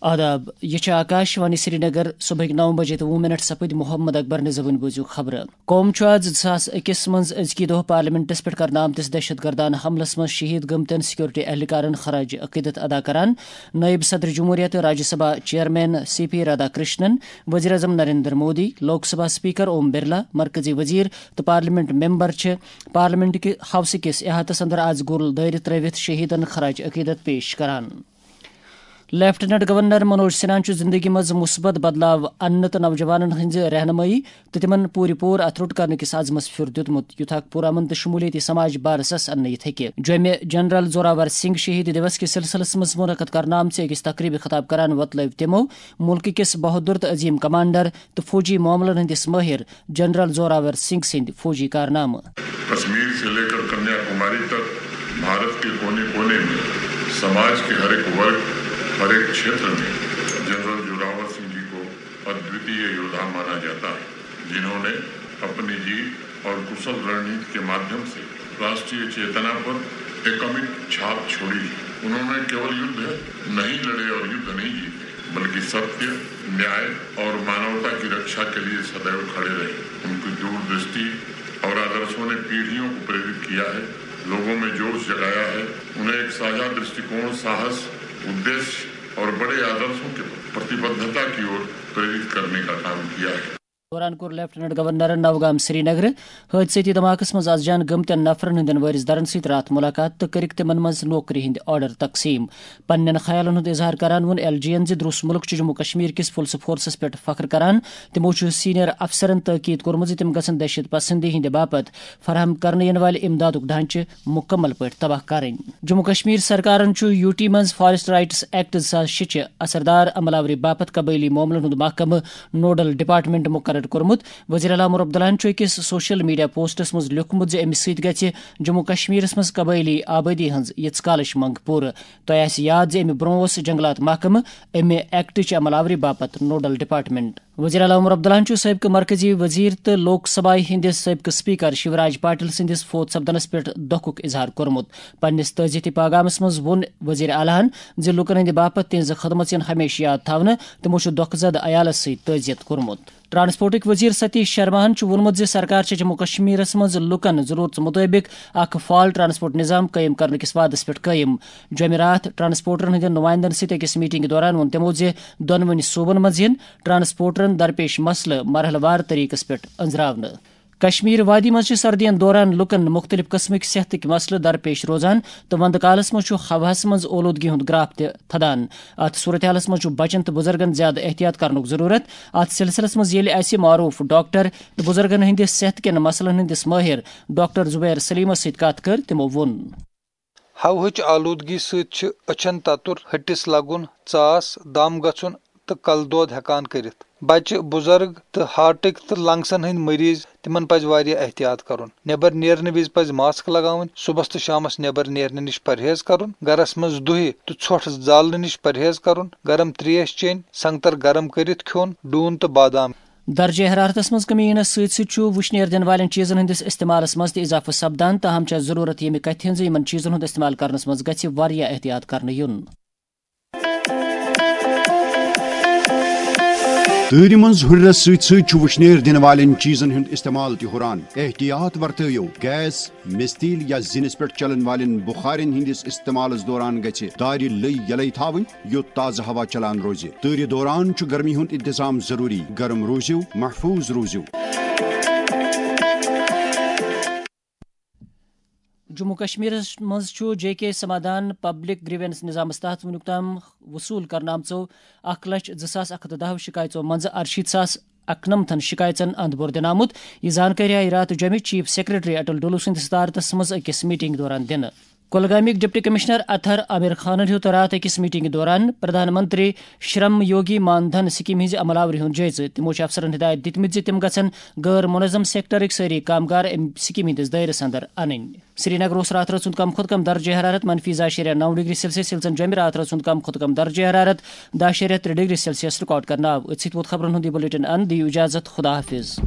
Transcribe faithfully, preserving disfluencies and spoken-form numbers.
آداب، یہِ چھِ آکاش وانی سرینگر۔ صبحٕکۍ نَو بجے تہٕ وُہ منٹ سپٕدۍ۔ محمد اکبر نِزوٕنۍ بوٗزِو خبرٕ۔ قوم چھُ آز زٕ ساس أکِس منٛز أزکی دۄہ پارلیمنٹس پٮ۪ٹھ کرنہٕ آمتِس دہشت گردانہٕ حملس منٛز شہید گٔمتٮ۪ن سیکورٹی اہلکارن خراج عقیدت ادا کران۔ نائب صدر جمہوریہ تہٕ Rajya Sabha chairman C P Radhakrishnan, وزیر اعظم نریندر مودی، لوک سبھا اسپیکر اوم برلا، مرکزی وزیر تہٕ پارلیمنٹ ممبر چھِ پارلیمنٹ کہِ ہاؤسہٕ کِس احاطس اندر آز گُل دٲیرٕ ترٲوِتھ شہیدن خراج عقیدت پیش کران۔ لیفٹیننٹ گورنر منوج سنہاہن چھُ زندگی منٛز مثبت بدلاو اننہٕ تہٕ نوجوانن ہٕنٛزِ رہنمٲیی تہٕ تِمن پوٗرٕ پوٗرٕ اتھٕ روٚٹ کرنہٕ کِس عزمس پھیُر دیُتمُت، یُتھ اکھ پُرامن تہٕ شمولیتی سماج بارسس اننہٕ یِتھ ہیٚکہِ۔ جوٚمہِ جنرل زوراور سنگھ شہید دیوس کِس سلسلس منٛز منعقد کرنہٕ آمژِ أکِس تقریبہِ خطاب کران وۄتلٲوۍ تِمو مُلکہٕ کِس بہادُر تہٕ عظیم کمانڈر تہٕ فوجی معاملن ہٕنٛدِس مٲہِر جنرل زوراور سنگھ سٕنٛدۍ فوجی کارنامہٕ۔ کشمیر سے لے کر کنیا کماری تک بھارت کے کونے کونے میں سماج کے ہر ایک ورگ، ہر ایک چھیتر میں جنرل زوراور سنگھ جی کو ادویتیہ یودھا مانا جاتا ہے، جنہوں نے اپنی جیت اور کشل رننیتی کے مادھیم سے راشٹریہ چیتنا پر ایک امیٹ چھاپ چھوڑی ہے۔ انہوں نے کیول یدھ نہیں لڑے اور یدھ نہیں جیتے، بلکہ ستیہ، نیائے اور مانوتا کی رکشا کے لیے سدیو کھڑے رہے۔ ان کی دور درشٹی اور آدرشوں نے پیڑھیوں کو प्रेरित किया है, लोगों में जोश जगाया है, उन्हें एक साझा दृष्टिकोण, साहस, उद्देश्य और बड़े आदर्शों के प्रतिबद्धता की ओर प्रेरित करने का काम किया है। دوران کوٚر لیفٹیننٹ گورنرن نوگام سرینگر حٲدثٲتی دھماکس منٛز از جان گٔمتٮ۪ن نفرن ہٕنٛدٮ۪ن وٲرِث دارن سۭتۍ راتھ مُلاقات تہٕ کٔرِکھ تِمن منٛز نوکری ہٕنٛدۍ آرڈر تقسیٖم۔ پننٮ۪ن خیالن ہُنٛد اظہار کران ووٚن ایل جی ین زِ دروس مُلک چھُ جموں کشمیر کِس پُلسہٕ فورسس پٮ۪ٹھ فخر کران۔ تِمو چھُ سینئر افسرن تٲکید کوٚرمُت زِ تِم گژھن دہشت پسندی ہٕنٛدِ باپتھ فراہم کرنہٕ یِنہٕ والہِ امدادُک ڈھانچہٕ مُکمل پٲٹھۍ تباہ کرٕنۍ۔ جموں کشمیر سرکارن چھُ یوٗ ٹی منٛز فاریسٹ رائٹس ایکٹ زٕ ساس شےٚ چہِ اثردار عمل آوری باپتھ قبٲئلی معاملن ہُنٛد محکمہٕ نوڈل ڈپارٹمنٹ مقرر کوٚرمُت۔ وزیر اعلیٰ عمر عبداللہن چھُ أکِس سوشل میڈیا پوسٹس منٛز لیوٚکھمُت زِ اَمہِ سۭتۍ گژھِ جموں کشمیرس منٛز قبٲئلی آبٲدی ہٕنٛز یِژھ کالٕچ منٛگ پوٗرٕ۔ تۄہہِ آسہِ یاد زِ اَمہِ برٛونٛہہ اوس جنگلات محکمہٕ اَمہِ ایکٹٕچ عمل آوری باپتھ نوڈل ڈپارٹمنٹ۔ وزیر اعلیٰ عمر عبداللہن چھُ سٲبقہٕ مرکزی وزیر تہٕ لوک سبھایہ ہٕنٛدِس سٲبقہٕ اسپیکر شیوراج پاٹل سٕنٛدِس فوت سپدنس پٮ۪ٹھ دۄکھُک اظہار کوٚرمُت۔ پننِس تعزیتی پیغامس منٛز ووٚن وزیر اعلیٰ ہن زِ لوٗکن ہٕنٛدِ باپتھ تِہنٛزٕ خدمژ یِن ہمیشہٕ یاد تھاونہٕ۔ تِمو چھُ دۄکھٕ زدٕ عیالس سۭتۍ تعزیت کوٚرمُت۔ ٹرانسپورٹٕکۍ وزیر ستیش شرماہن چھُ ووٚنمُت زِ سرکار چھےٚ جموں کشمیرس منٛز لوٗکن ضروٗرژ مُطٲبِق اکھ فعال ٹرانسپورٹ نظام قٲیِم کرنہٕ کِس وعدس پٮ۪ٹھ قٲیِم۔ جمعراتھ ٹرانسپورٹرن ہٕنٛدٮ۪ن نُمایندن سۭتۍ أکِس میٹنگہِ دوران ووٚن تِمو زِ دۄنوٕنی صوبن منٛز یِن ٹرانسپورٹرن درپیش مسلہٕ مرحلہٕ وار طریقس پٮ۪ٹھ أنٛزراونہٕ۔ کشمیر وادی منٛز چھِ سردی ہٕنٛدِ دوران لوٗکن مُختٔلِف قٕسمٕکۍ صحتٕکۍ مسلہٕ درپیش روزان تہٕ وندٕ کالس منٛز چھُ ہوہَس منٛز اولوٗدگی ہُنٛد گراف تہِ تھدان۔ اتھ صورتحالس منٛز چھُ بچن تہٕ بُزرگن زیادٕ احتیاط کرنُک ضروٗرت۔ اتھ سلسلس منٛز ییٚلہِ اسہِ معروف ڈاکٹر تہٕ بُزرگن ہٕنٛدِس صحت کٮ۪ن مسلن ہٕنٛدِس مٲہِر ڈاکٹر زبیر سلیمس سۭتۍ کتھ کٔر، تِمو ووٚن۔ ہوہٕچ آلودگی سۭتۍ چھِ أچھن تتُر، ۂٹِس لگُن، ژاس، دم گژھُن تہٕ کلہٕ دود ہٮ۪کان کٔرِتھ۔ بچہٕ، بُزرگ تہٕ ہارٹٕکۍ تہٕ لنگسن ہٕنٛدۍ مریض، تِمن پزِ واریاہ احتیاط کرُن۔ نٮ۪بر نیرنہٕ وِزِ پزِ ماسک لگاوٕنۍ، صُبحس تہٕ شامس نٮ۪بر نیرنہٕ نِش پرہیز کرُن، گرس منٛز دُہہِ تہٕ ژھۄٹھ زالنہٕ نِش پرہیز کرُن، گرم تریش چیٚنۍ، سنگتر گرم کٔرِتھ کھیوٚن، ڈوٗن تہٕ بادام۔ درجہ حرارتس منٛز کمی یِنس سۭتۍ سۭتۍ چھُ وُشنیر دِنہٕ والٮ۪ن چیٖزن ہٕنٛدِس استعمالس منٛز تہِ اضافہٕ سپدان، تاہم چھےٚ ضروٗرت ییٚمہِ کتھِ ہٕنٛز زِ یِمن چیٖزن ہُنٛد استعمال کرنس منٛز گژھِ واریاہ احتیاط کرنہٕ یُن۔ تۭرِ منٛز ہُرٮ۪رس سۭتۍ سۭتۍ چھُ وُشنیر دِنہٕ والٮ۪ن چیٖزن ہُنٛد استعمال تہِ ہُران۔ احتیاط ورتٲیِو، گیس، مِستیٖل یا زِنِس پٮ۪ٹھ چلن والٮ۪ن بُخارٮ۪ن ہٕنٛدِس استعمالس دوران گژھِ دارِ لٔۍ یلے تھاوٕنۍ، یُتھ تازٕ ہوا چلان روزِ۔ تۭرِ دوران چھُ گرمی ہُنٛد انتظام ضروٗری۔ گرم روٗزِو، محفوٗظ روٗزِو۔ جموں کشمیرس منٛز چھُ جے کے سمادھان پبلک گریونس نظامس تحت وُنیُک تام وصوٗل کرنہٕ آمژو اکھ لچھ زٕ ساس اکھ ہتھ تہٕ دَہ شکایژو منٛزٕ ارشیٖتھ ساس اکنمتھن شکایژن اند بور دِنہٕ آمُت۔ یہِ زانکٲری آیہِ راتھ جوٚمہِ چیف سیکرٹری اٹل ڈولو سٕنٛدِس صدارتس منٛز أکِس میٹنگ دوران دِنہٕ۔ کۄلگامیُک ڈپٹی کمشنر اطہر عامر خانن ہیوٚت راتھ أکِس میٹنگہِ دوران پردھان منتری شرم یوگی مان دھن سکیمہِ ہٕنٛزِ عمل آوری ہُنٛد جٲیزٕ۔ تِمو چھِ افسرن ہدایت دِتمٕتۍ زِ تِم گژھن غٲر منظم سیکٹرٕکۍ سٲری کامگار اَمہِ سکیمہِ ہٕنٛدِس دٲیرس اندر انٕنۍ۔ سرینگرٕ اوس راتھ رٲژ ہُنٛد کم کھۄتہٕ کم درجہ حرارت منفی زٕ اعشاریہ نَو ڈگری سیلسیس، ییٚلہِ زن جوٚمہِ راتھ رٲژ ہُنٛد کم کھۄتہٕ کم درجہ حرارت دَہ اعشاریہ ترٛےٚ ڈگری سیلسیس ریکارڈ کرنہٕ آو۔ أتھۍ سۭتۍ ووت خبرن ہُنٛد یہِ بلیٹن اند۔ دِیِو اجازت، خدا حافظ۔